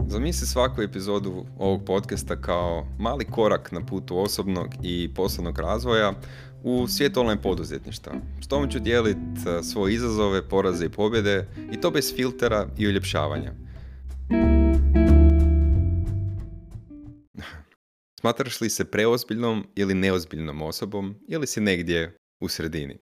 Zamisli svaku epizodu ovog podcasta kao mali korak na putu osobnog i poslovnog razvoja u svijet online poduzetništva. S tom ću dijeliti svoje izazove, poraze i pobjede i to bez filtera i uljepšavanja. Smatraš li se preozbiljnom ili neozbiljnom osobom ili si negdje u sredini?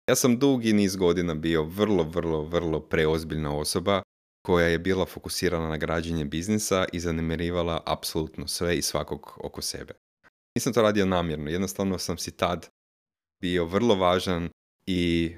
Ja sam dugi niz godina bio vrlo preozbiljna osoba koja je bila fokusirana na građenje biznisa i zanemarivala apsolutno sve i svakog oko sebe. Nisam to radio namjerno, jednostavno sam si tad bio vrlo važan i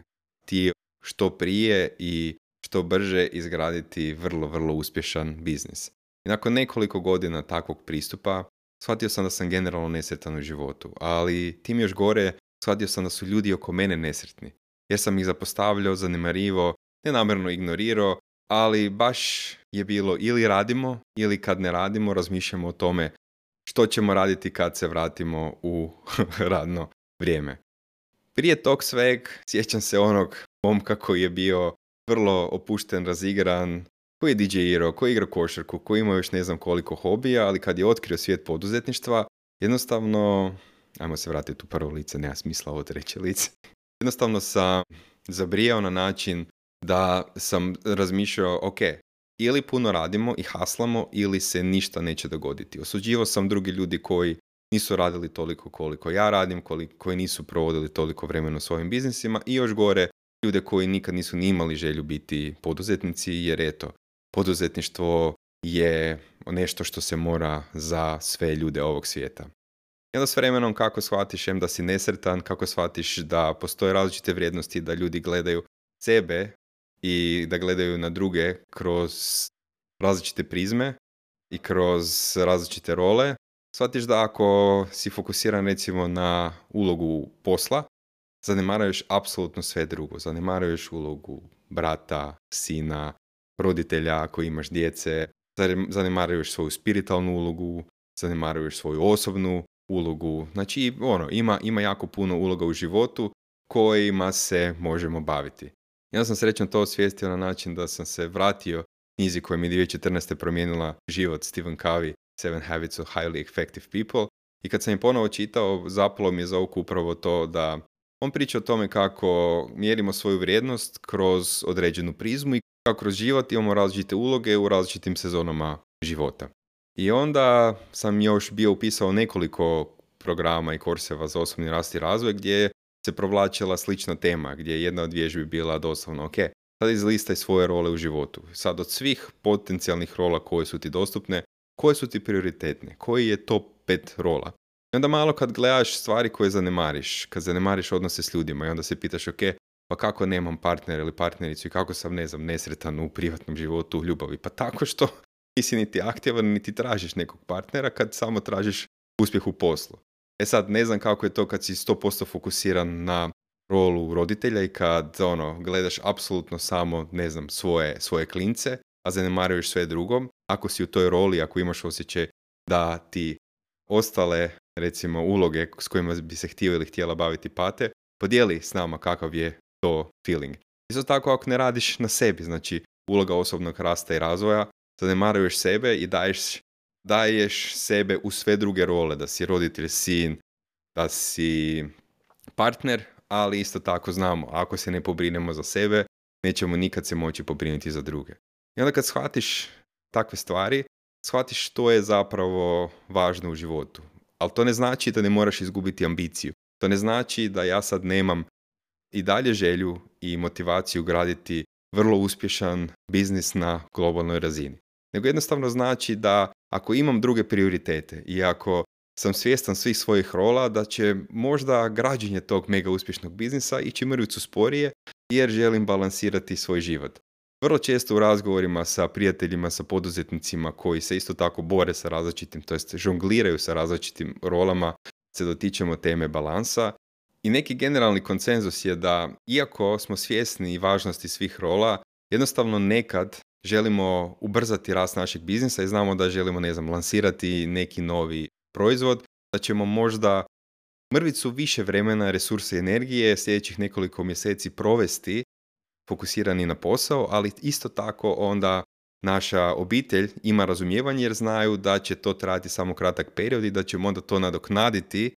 htio što prije i što brže izgraditi vrlo uspješan biznis. I nakon nekoliko godina takvog pristupa shvatio sam da sam generalno nesretan u životu, ali tim još gore shvatio sam da su ljudi oko mene nesretni, jer sam ih zapostavljao, zanemarivo, nenamjerno ignorirao, ali baš je bilo ili radimo ili kad ne radimo razmišljamo o tome što ćemo raditi kad se vratimo u radno vrijeme. Prije tog sveg sjećam se onog momka koji je bio vrlo opušten, razigran, koji je DJ-irao, koji je igrao košarku, koji ima još ne znam koliko hobija, ali kad je otkrio svijet poduzetništva, jednostavno, ajmo se vratiti u prvo lice, nema smisla ovo treće lice, jednostavno sam zabrijao na način da sam razmišljao, ok, ili puno radimo i haslamo, ili se ništa neće dogoditi. Osuđivao sam drugi ljudi koji nisu radili toliko koliko ja radim, koji nisu provodili toliko vremena u svojim biznisima i još gore ljude koji nikad nisu ni imali želju biti poduzetnici, jer eto, poduzetništvo je nešto što se mora za sve ljude ovog svijeta. I onda s vremenom kako shvatiš da si nesretan, kako shvatiš da postoje različite vrijednosti, da ljudi gledaju sebe i da gledaju na druge kroz različite prizme i kroz različite role, shvatiš da ako si fokusiran recimo na ulogu posla, zanemaruješ apsolutno sve drugo. Zanemaruješ ulogu brata, sina, roditelja ako imaš djece, zanemaruješ svoju spiritualnu ulogu, zanemaruješ svoju osobnu ulogu. Znači, ima jako puno uloga u životu kojima se možemo baviti. Ja sam srećno to osvijestio na način da sam se vratio knjizi koja mi je 2014. promijenila život, Stephen Covey, Seven Habits of Highly Effective People. I kad sam je ponovo čitao, zapalo mi je za oko upravo to da on priča o tome kako mjerimo svoju vrijednost kroz određenu prizmu i kako kroz život imamo različite uloge u različitim sezonama života. I onda sam još bio upisao nekoliko programa i kurseva za osobni rast i razvoj gdje se provlačila slična tema, gdje je jedna od vježbi bila doslovno, ok, sad izlistaj svoje role u životu. Sad od svih potencijalnih rola koje su ti dostupne, koje su ti prioritetne, koji je top 5 rola. I onda malo kad gledaš stvari koje zanemariš, kad zanemariš odnose s ljudima i onda se pitaš, ok, pa kako nemam partnera ili partnericu i kako sam, nesretan u privatnom životu, u ljubavi? Pa tako što nisi niti aktivan, niti tražiš nekog partnera kad samo tražiš uspjeh u poslu. E sad, ne znam kako je to kad si 100% fokusiran na rolu roditelja i kad gledaš apsolutno samo, svoje klince, a zanemaruješ sve drugo. Ako si u toj roli, ako imaš osjećaj da ti ostale, recimo, uloge s kojima bi se htio ili htjela baviti pate, podijeli s nama kakav je to feeling. Isto tako ako ne radiš na sebi, znači uloga osobnog rasta i razvoja, zanemaruješ sebe i daješ sebe u sve druge role, da si roditelj, sin, da si partner, ali isto tako znamo, ako se ne pobrinemo za sebe, nećemo nikad se moći pobrinuti za druge. I onda kad shvatiš takve stvari, shvatiš što je zapravo važno u životu. Ali to ne znači da ne moraš izgubiti ambiciju. To ne znači da ja sad nemam i dalje želju i motivaciju graditi vrlo uspješan biznis na globalnoj razini. Nego jednostavno znači da ako imam druge prioritete i ako sam svjestan svih svojih rola, da će možda građenje tog mega uspješnog biznisa ići mrvicu sporije jer želim balansirati svoj život. Vrlo često u razgovorima sa prijateljima, sa poduzetnicima koji se isto tako bore sa različitim, to jest žongliraju sa različitim rolama, se dotičemo teme balansa. I neki generalni konsenzus je da, iako smo svjesni važnosti svih rola, jednostavno nekad želimo ubrzati rast našeg biznisa i znamo da želimo, lansirati neki novi proizvod, da ćemo možda mrvicu više vremena, resursa i energije sljedećih nekoliko mjeseci provesti fokusirani na posao, ali isto tako onda naša obitelj ima razumijevanje jer znaju da će to trajati samo kratak period i da ćemo onda to nadoknaditi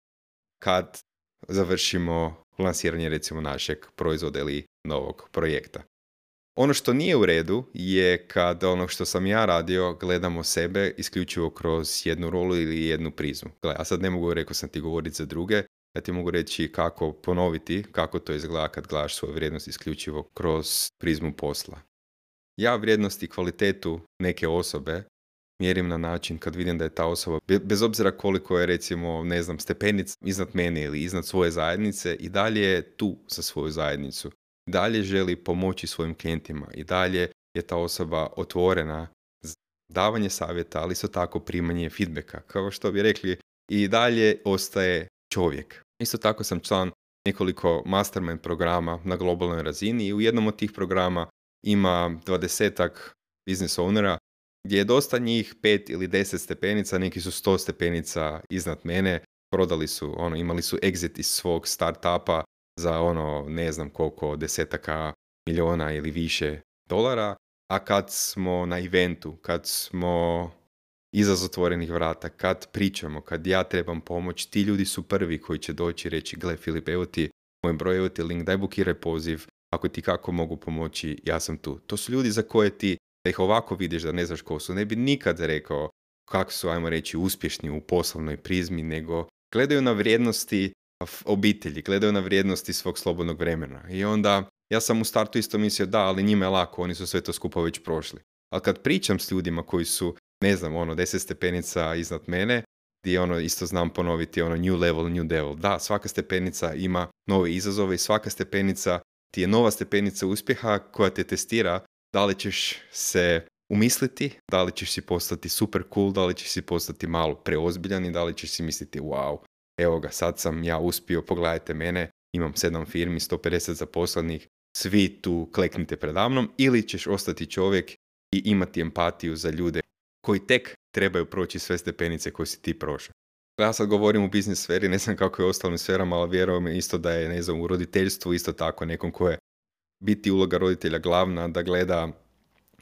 kad završimo lansiranje recimo našeg proizvoda ili novog projekta. Ono što nije u redu je kad ono što sam ja radio gledamo sebe isključivo kroz jednu rolu ili jednu prizmu. Gle, a sad ne mogu, rekao sam ti, govoriti za druge, ja ti mogu reći kako ponoviti, kako to izgleda kad gledaš svoju vrijednost isključivo kroz prizmu posla. Ja vrijednost i kvalitetu neke osobe mjerim na način kad vidim da je ta osoba, bez obzira koliko je recimo, ne znam, stepenica iznad mene ili iznad svoje zajednice, i dalje je tu za svoju zajednicu. I dalje želi pomoći svojim klijentima. I dalje je ta osoba otvorena za davanje savjeta, ali isto tako primanje feedbacka. Kao što bi rekli, i dalje ostaje čovjek. Isto tako sam član nekoliko mastermind programa na globalnoj razini i u jednom od tih programa ima 20-ak business ownera gdje je dosta njih 5 ili 10 stepenica, neki su 100 stepenica iznad mene, prodali su, imali su exit iz svog startupa za ne znam koliko, desetaka milijuna ili više dolara, a kad smo na eventu, kad smo iza zatvorenih vrata, kad pričamo, kad ja trebam pomoć, ti ljudi su prvi koji će doći i reći, gle Filip, evo ti moj broj, evo ti link, daj bukiraj poziv, ako ti kako mogu pomoći, ja sam tu. To su ljudi za koje ti, da ih ovako vidiš da ne znaš ko su, ne bi nikad rekao kako su, ajmo reći, uspješni u poslovnoj prizmi, nego gledaju na vrijednosti obitelji, gledaju na vrijednosti svog slobodnog vremena. I onda ja sam u startu isto mislio da, ali njima je lako, oni su sve to skupa već prošli. Ali kad pričam s ljudima koji su, ne znam, 10 stepenica iznad mene, gdje isto znam ponoviti new level, new devil. Da, svaka stepenica ima nove izazove i svaka stepenica ti je nova stepenica uspjeha koja te testira da li ćeš se umisliti, da li ćeš si postati super cool, da li ćeš si postati malo preozbiljan i da li ćeš si misliti wow, evo ga, sad sam ja uspio, pogledajte mene, imam 7 firmi, 150 zaposlenih, svi tu kleknite predamnom, ili ćeš ostati čovjek i imati empatiju za ljude koji tek trebaju proći sve stepenice koje si ti prošao. Ja sad govorim u biznis sferi, ne znam kako je u ostalim sferama, ali vjerujem isto da je, ne znam, u roditeljstvu isto tako nekom ko je biti uloga roditelja glavna, da gleda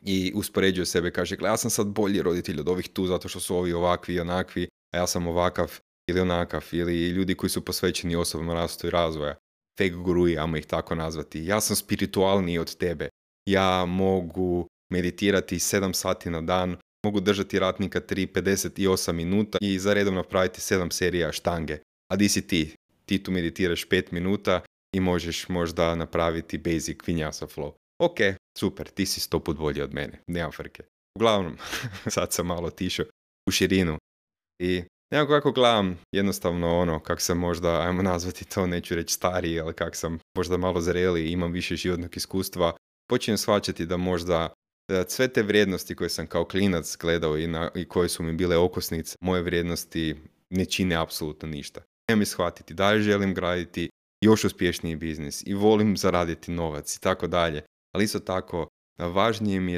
i uspoređuje sebe, kaže, ja sam sad bolji roditelj od ovih tu zato što su ovi ovakvi i onakvi, a ja sam ovakav ili onakav, ili ljudi koji su posvećeni osobnom rastu i razvoja, fake guruji, ajmo ih tako nazvati. Ja sam spiritualniji od tebe, ja mogu meditirati 7 sati na dan, mogu držati ratnika 58 minuta i za redom napraviti 7 serija štange. A di si ti? Ti tu meditiraš 5 minuta i možeš možda napraviti basic vinyasa flow. Ok, super, ti si 100 put bolji od mene, nema frke. Uglavnom, sad sam malo otišao u širinu i nekako kako gledam jednostavno kak sam možda, ajmo nazvati to, neću reći stariji, ali kak sam možda malo zreli i imam više životnog iskustva, počinjem shvaćati da možda sve te vrijednosti koje sam kao klinac gledao i koje su mi bile okosnice, moje vrijednosti ne čine apsolutno ništa. Nemam shvatiti da želim graditi još uspješniji biznis i volim zaraditi novac i tako dalje. Ali isto tako, važnije mi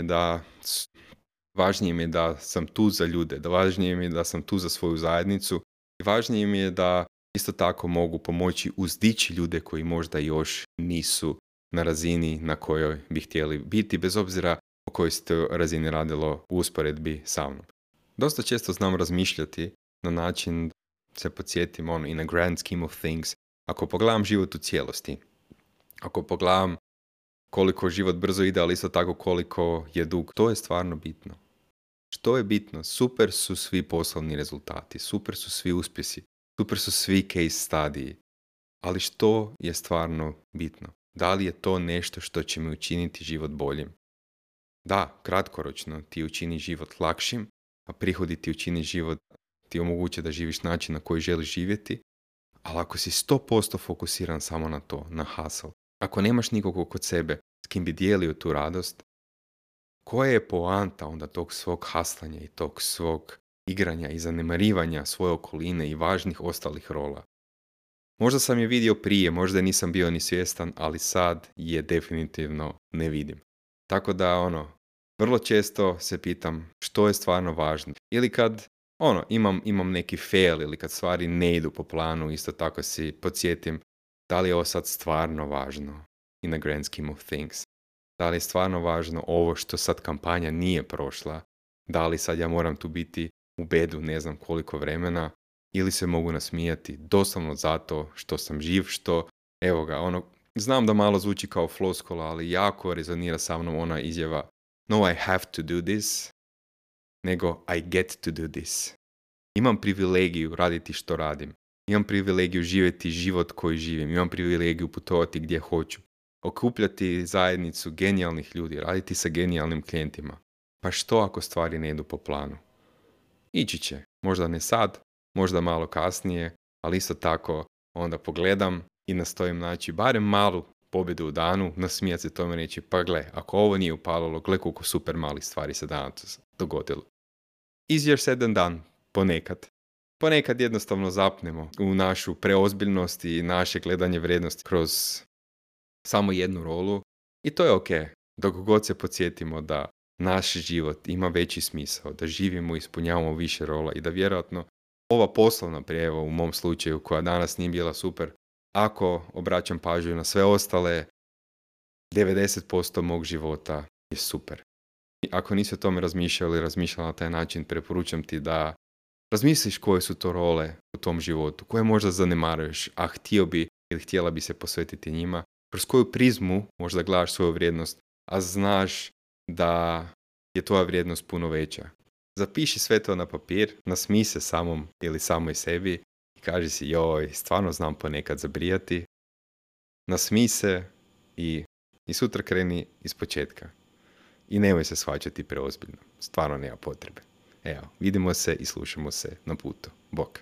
je da sam tu za ljude, da važnije mi je da sam tu za svoju zajednicu i važnije mi je da isto tako mogu pomoći uzdići ljude koji možda još nisu na razini na kojoj bi htjeli biti, bez obzira o kojoj se to razini radilo u usporedbi sa mnom. Dosta često znam razmišljati na način da se podsjetim in a grand scheme of things. Ako pogledam život u cijelosti, ako pogledam koliko život brzo ide, ali isto tako koliko je dug, to je stvarno bitno. Što je bitno? Super su svi poslovni rezultati, super su svi uspjesi, super su svi case studiji, ali što je stvarno bitno? Da li je to nešto što će mi učiniti život boljim? Da, kratkoročno ti učini život lakšim, a prihodi ti učini život, ti omoguće da živiš način na koji želiš živjeti, ali ako si 100% fokusiran samo na to, na hustle, ako nemaš nikog kod sebe s kim bi dijelio tu radost, koja je poanta onda tog svog haslanja i tog svog igranja i zanemarivanja svoje okoline i važnih ostalih rola? Možda sam je vidio prije, možda nisam bio ni svjestan, ali sad je definitivno ne vidim. Tako da vrlo često se pitam što je stvarno važno. Ili kad imam neki fail ili kad stvari ne idu po planu, isto tako si podsjetim da li je ovo sad stvarno važno in the grand scheme of things. Da li je stvarno važno ovo što sad kampanja nije prošla? Da li sad ja moram tu biti u bedu ne znam koliko vremena? Ili se mogu nasmijati doslovno zato što sam živ, što, evo ga, znam da malo zvuči kao floskula, ali jako rezonira sa mnom ona izjava no I have to do this, nego I get to do this. Imam privilegiju raditi što radim. Imam privilegiju živjeti život koji živim. Imam privilegiju putovati gdje hoću. Okupljati zajednicu genijalnih ljudi, raditi sa genijalnim klijentima. Pa što ako stvari ne idu po planu? Ići će. Možda ne sad, možda malo kasnije, ali isto tako onda pogledam i nastojim naći barem malu pobjedu u danu, nasmijati se tome i reći, pa gle, ako ovo nije upalilo, gle koliko super malih stvari se danas dogodilo. Easier said than done, ponekad. Ponekad jednostavno zapnemo u našu preozbiljnost i naše gledanje vrijednosti kroz samo jednu rolu i to je ok, dok god se podsjetimo da naš život ima veći smisao, da živimo i ispunjavamo više rola i da vjerojatno ova poslovna prijeva u mom slučaju koja danas nije bila super, ako obraćam pažnju na sve ostale, 90% mog života je super. I ako nisi o tome razmišljala na taj način, preporučam ti da razmisliš koje su to role u tom životu, koje možda zanemaruješ, a htio bi ili htjela bi se posvetiti njima, kroz koju prizmu možda gledaš svoju vrijednost, a znaš da je tvoja vrijednost puno veća. Zapiši sve to na papir, nasmij se samom ili samoj sebi i kaži si joj, stvarno znam ponekad zabrijati. Nasmij se i sutra kreni iz početka. I nemoj se shvaćati preozbiljno. Stvarno nema potrebe. Evo, vidimo se i slušamo se na putu. Bok!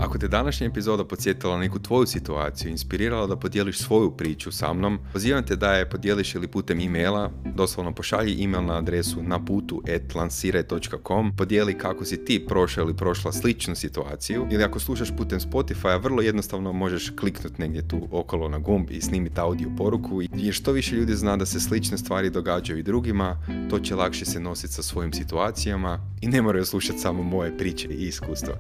Ako te današnja epizoda podsjetila neku tvoju situaciju, inspirirala da podijeliš svoju priču sa mnom, pozivam te da je podijeliš ili putem e-maila, doslovno pošalji e-mail na adresu naputu@lansiraj.com, podijeli kako si ti prošao ili prošla sličnu situaciju, ili ako slušaš putem Spotify, vrlo jednostavno možeš kliknuti negdje tu okolo na gumb i snimiti audio poruku, jer što više ljudi zna da se slične stvari događaju i drugima, to će lakše se nositi sa svojim situacijama i ne moraju slušati samo moje priče i iskustva.